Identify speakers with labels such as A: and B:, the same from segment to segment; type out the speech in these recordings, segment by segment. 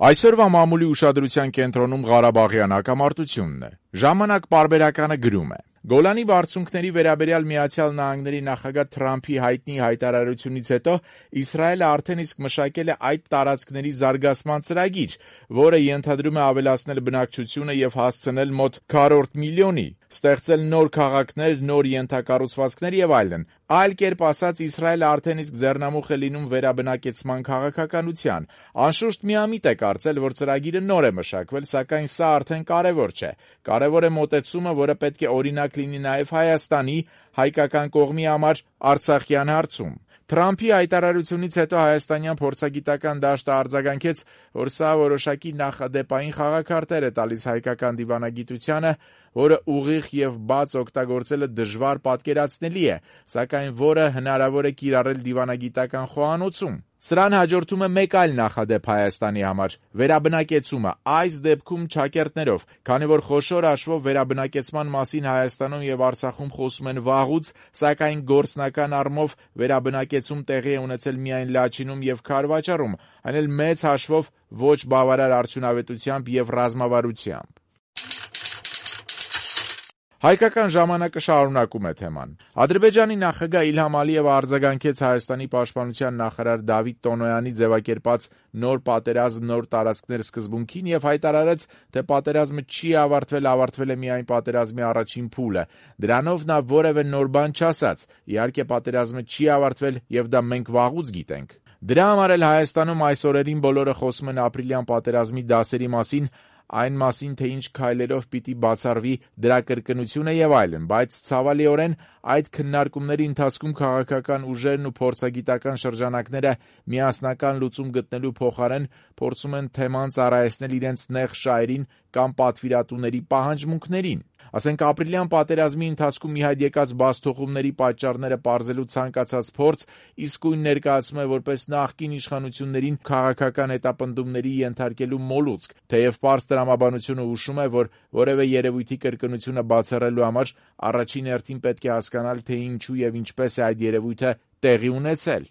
A: Այսօրվա մամուլի ուշադրության կենտրոնում Ղարաբաղյան հակամարտությունն է։ Ժամանակ պարբերականը գրում է. Գոլանի բարձունքների վերաբերյալ Միացյալ Նահանգների նախագահ Թրամփի հայտնի հայտարարությունից հետո Իսրայելը արդեն իսկ մշակել է այդ տարածքների զարգացման ծրագիր, որը ենթադրում է ավելացնել բնակչությունը եւ հասցնել մոտ 4 միլիոնի, ստեղծել նոր քաղաքներ, նոր ենթակառուցվածքներ եւ այլն։ Այլ կերպ ասած, Իսրայելը արդեն իսկ ձեռնամուխ է լինում վերաբնակեցման քաղաքականության։ Անշուշտ միամիտ է կարծել, որ ծրագիրը նոր է մշակվել, սակայն սա արդեն կարևոր չէ։ Կարևոր է մոտեցումը, որը պետք է օրինակ լինի նաև Հայաստանի, հայկական կողմի համար Արցախյան հարցում։ Թրամփի հայտարարությունից հետո հայաստանյան փորձագիտական դաշտը արձագանքեց, որ սա որոշակի նախադեպային խաղաքարտեր է տալիս հայկական դիվանագիտությանը, որը ուղիղ եւ բաց օգտագործելը դժվար պատկերացնելի է, սակայն որը հնարավոր է կիրառել դիվանագիտական խոհանոցում։ Սրան հաջորդում է մեկ այլ նախադեպ Հայաստանի համար՝ վերաբնակեցումը, այս դեպքում ճակերտներով, քանի որ խոշոր հաշվով վերաբնակեցման մասին Հայաստանում եւ Արցախում խոսում են վաղուց, սակայն գործնական առումով վերաբնակեցում տեղի է ունեցել միայն Լաչինում եւ Քարվաճառում, այն էլ մեծ հաշվով ոչ բավարար արդյունավետությամբ եւ ռազմավարությամբ։ Հայկական ժամանակը շարունակում է թեման։ Ադրբեջանի նախագահ Իլհամ Ալիևը արձագանքեց Հայաստանի պաշտպանության նախարար Դավիթ Տոնոյանի ձևակերպած նոր պատերազմ, նոր տարածքներ սկզբունքին եւ հայտարարեց, թե պատերազմը չի ավարտվել է միայն պատերազմի առաջին փուլը։ Դրանով նա որևէ նոր բան չասաց։ Իհարկե, պատերազմը չի ավարտվել եւ դա մենք վաղուց գիտենք։ Դրա համար էլ Հայաստանում այս օրերին բոլորը խոսում են ապրիլյան պատերազմի դասերի մասին, այն մասին, թե ինչ քայլերով պիտի բացառվի դրա կրկնությունը եւ այլն, բայց ցավալիորեն այդ քննարկումների ընթացքում քաղաքական ուժերն ու փորձագիտական շրջանակները միասնական լուծում գտնելու փոխարեն փորձում են թեման ծառայեցնել իրենց նեղ շահերին կամ պատվիրատուների պահանջմունքներին։ Ասենք ապրիլյան պատերազմի ընթացքում ի հայտ եկած բացթողումների պատճառները պարզելու ցանկացած փորձ իսկույն ներկայացում է որպես նախկին իշխանություններին քաղաքական հետապնդումների ենթարկելու մոլուցք, թեև պարզ տրամաբանությունը հուշում է, որ որևէ երևույթի կրկնությունը բացառելու համար առաջին հերթին պետք է հասկանալ, թե ինչու եւ ինչպես է այդ երևույթը տեղի ունեցել։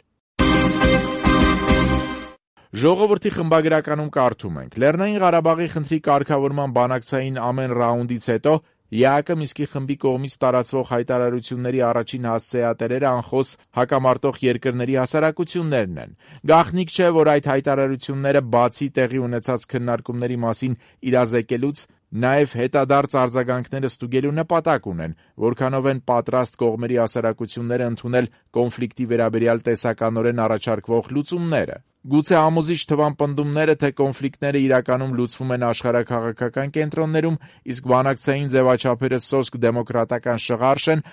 A: Ժողովրդի խմբագրականում կարդում ենք. Լեռնային Ղարաբաղի խնդրի կարգավորման բանակցային ամեն ռաունդից հետո ԵԱԿ Մինսկի խմբի կողմից տարածվող հայտարարությունների առաջին հասցեատերերը անխոս հակամարտող երկրների հասարակություններն են։ Գաղտնիք չէ, որ այդ հայտարարությունները բացի տեղի ունեցած քննարկումների մասին իրազեկելուց նաև հետադարձ արձագանքները ստուգելու նպատակ ունեն, որքանով են պատրաստ կողմերի հասարակությունները ընդունել կոնֆլիկտի վերաբերյալ տեսականորեն առաջարկվող լուծումները։ Գուցե համոզիչ թվան պնդումները, թե կոնֆլիկտները իրականում լուծվում են աշխարհաքաղաքական կենտրոններում, իսկ բանակցային ձևաչափերը սոսկ դեմոկրատական շղարշ են,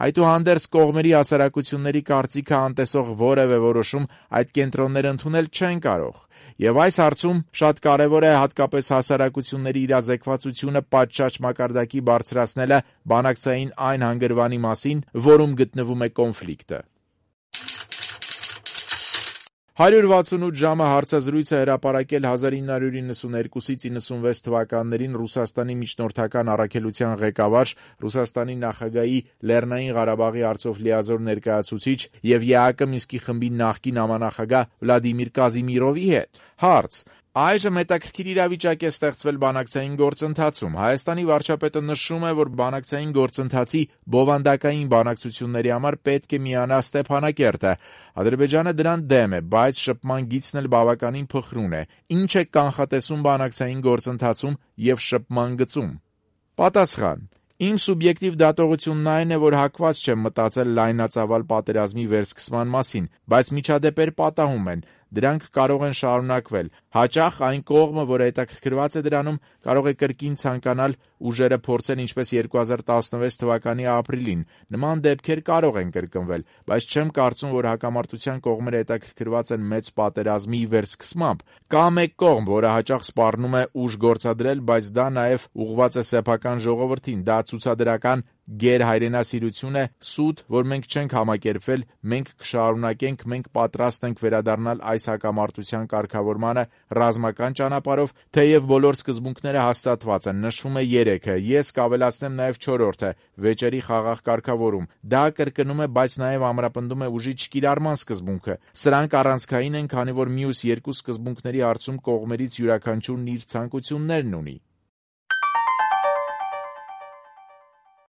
A: այդուհանդերձ կողմերի հասարակությունների կարծիքը անտեսող որևէ որոշում այդ կենտրոնները ընդունել չեն կարող։ Եվ այս հարցում շատ կարևոր է հատկապես հասարակությունների իրազեկվածությունը պատշաճ մակարդակի բարձրացնելը բանակցային այն հանգրվանի մասին, որում գտնվում է կոնֆլիկտը։ 168 ժամը հարցազրույց է հրապարակել 1992-ից 96 թվականներին Ռուսաստանի միջնորդական առաքելության ղեկավար, Ռուսաստանի նախագահի Լեռնային Ղարաբաղի հարցով լիազոր ներկայացուցիչ եւ ԵԱԿ Մինսկի խմբի նախկին համանախագահ Վլադիմիր Կազիմիրովի հետ։ Հարց. Այժմ հետաքրքիր իրավիճակ է ստեղծվել բանակցային գործընթացում։ Հայաստանի վարչապետը նշում է, որ բանակցային գործընթացի բովանդակային բանակցությունների համար պետք է միանա Ստեփանակերտը։ Ադրբեջանը դրան դեմ է, բայց շփման գիծն էլ բավականին փխրուն է։ Ինչ է կանխատեսում բանակցային գործընթացում եւ շփման գծում։ Պատասխան. Իմ սուբյեկտիվ դատողությունն այն է, որ հակված չեմ մտածել լայնածավալ պատերազմի վերսկսման մասին, բայց միջադեպեր պատահում են, դրանք կարող են շարունակվել։ Հաճախ այն կողմը, որը հետաքրքրված է դրանում, կարող է կրկին ցանկանալ ուժերը փորձեն ինչպես 2016 թվականի ապրիլին։ Նման դեպքեր կարող են կրկնվել, բայց չեմ կարծում, որ հակամարտության կողմերը հետաքրքրված են մեծ պատերազմի վերսկսմամբ։ Կա մեկ կողմ, որը հաճախ սպառնում է ուժ գործադրել, բայց դա նաև ուղղված է սեփական ժողովրդին, դա ցուցադրական գերհայրենասիրություն է, սուտ, որ մենք չենք համակերպվել, մենք կշարունակենք, մենք պատրաստ ենք վերադառնալ այս հակամարտության կարգավորմանը ռազմական ճանապարհով, թեև բոլոր սկզբունքները հաստատված են, նշվում է 3-ը, ես կավելացնեմ նաև 4-ը՝ վեճերի խաղաղ կարգավորում։ Դա կրկնում է, բայց նաև ամրապնդում է ուժի չկիրառման սկզբունքը։ Սրանք առանցքային են, քանի որ մյուս երկու սկզբունքների հարցում կողմերից յուրաքանչյուրն իր ցանկություններն ունի։